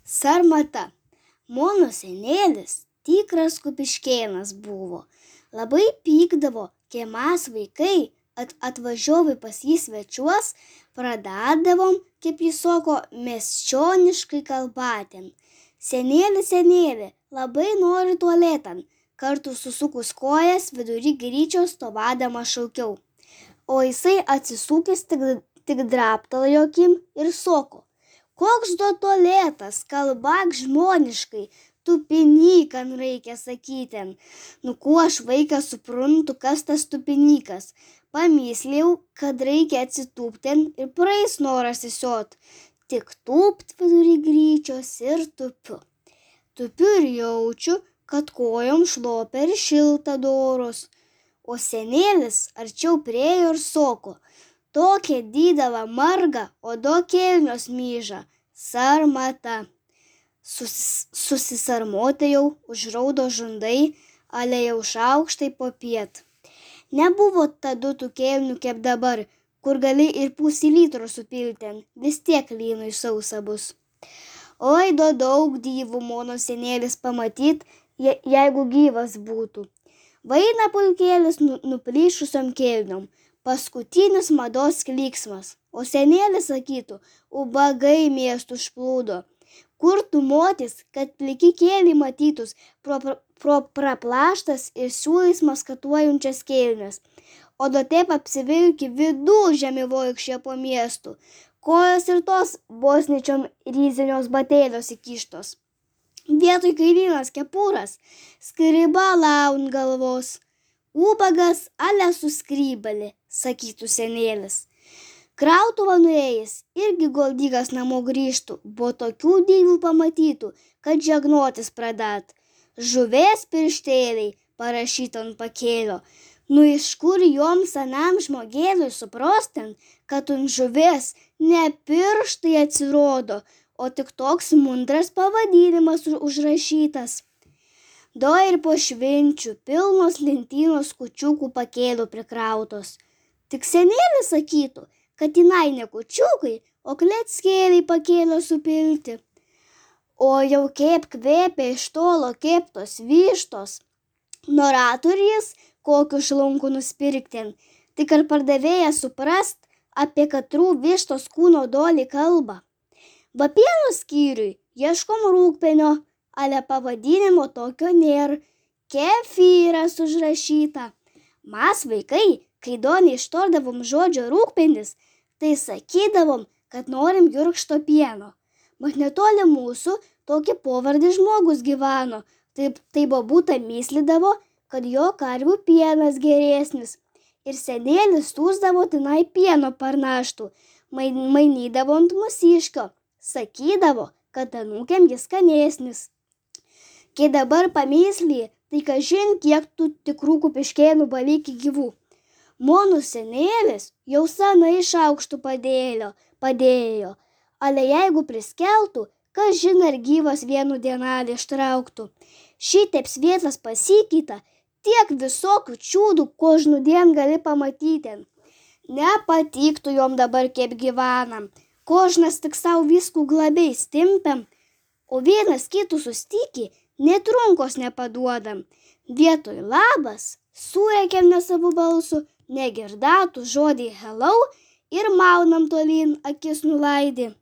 Sarmata. Mano senėlis tikras kupiškėnas buvo. Labai pykdavo, kai mes vaikai atvažiuovai pas jį svečiuos, pradėdavom, kaip jis sako, miesčioniškai kalbatėm. Senėli, labai noriu tualetan. Kartu susukus kojas vidury gryčio stovėdama šaukiau. O jisai atsisukęs tik draptelėjo akim ir sako: koks do tualetas, kalbak žmoniškai, tupinykan reikia sakyti. Nu kuo aš vaikas suprantu, kas tas tupinykas. Pamyslėjau, kad reikia atsitūpti ir praeis noras įsiot. Tik tūpt vidury gryčios ir tupiu. Tupiu ir jaučiu, kad kojom šlopia ir šilta doros. O senėlis arčiau priejo ir sako: tokia didelė marga, o do kelnios myža. Sarmata. Susisarmoti jau užraudo žundai, ale jau šaukštai popiet. Nebuvo tada tų kelnių kaip dabar, kur gali ir pusį litro supilti, vis tiek lynui sausa bus. Oi, daug dyvų mano senėlis pamatyt, jeigu gyvas būtų. Vaina pulkėlis nuplyšusiom kelniom, paskutinis mados klyksmas, o senėlis sakytų: ubagai miestų užplūdo. Kur tu motis, kad pliki kėliai matytus pro praplaštas ir siūlais maskatuojančias kelnes, o do taip apsivilki vidų žemivoikščia po miestų, kojos ir tos bosničiom ryzinios batėlios įkištos. Vietoj kailinos kepūras, skriba laun galvos. Ubagas ale suskrybali, sakytų senėlis. Krautuvą nuėjęs irgi goldygas namo grįžtų, bo tokių dyvų pamatytų, kad žegnotis pradėt. Žuvės pirštėliai parašyta ant pakėlio. Nu iš kur jom senam žmogėliui suprostin, kad ant žuvės ne pirštai atsirodo, o tik toks mundras pavadinimas užrašytas. Do ir po švenčių pilnos lentynos kučiukų pakėlių prikrautos. Tik senėlis sakytų, kad jinai ne kučiukai, o kleckėliai pakėlio supilti. O jau kaip kvėpia iš tolo keptos vištos. Norėtų ir jis kokiu šlunku nuspirkti, tik ar pardavėjas suprast, apie katrų vištos kūno dolį kalba. Va pieno skyriui ieškom rūgpenio, ale pavadinimo tokio nėra, kefyras užrašyta. Mes vaikai, kai doniai ištardavom žodžio rūgpenis, tai sakydavom, kad norim jurkšto pieno. Mat netoli mūsų tokį pavardį žmogus gyveno, tai bobutė myslydavo, kad jo karvių pienas geresnis. Ir senėlis tūsdavo tenai pieno parnaštų, mainydavo ant mūsiškio, sakydavo, kad anūkiam jis skanesnis. Kai dabar pamyslį, tai kažin kiek tų tikrų kupiškėnų balikį gyvų. Mano senėlis jau senai šaukštų padėjo, ale jeigu priskeltų, kažin ar gyvas vienu dienelį ištrauktų. Šitaip svietas pasikeita, tiek visokių čiūdų, ko žnudien gali pamatyti. Nepatiktų jom dabar kaip gyvenam, kožnas tik savo viskų glabiai stimpiam, o vienas kitų sustikį net runkos nepaduodam. Vietoj labas surėkiam ne savo balsu, negirdatų žodį hello ir maunam tolyn akis nulaidį.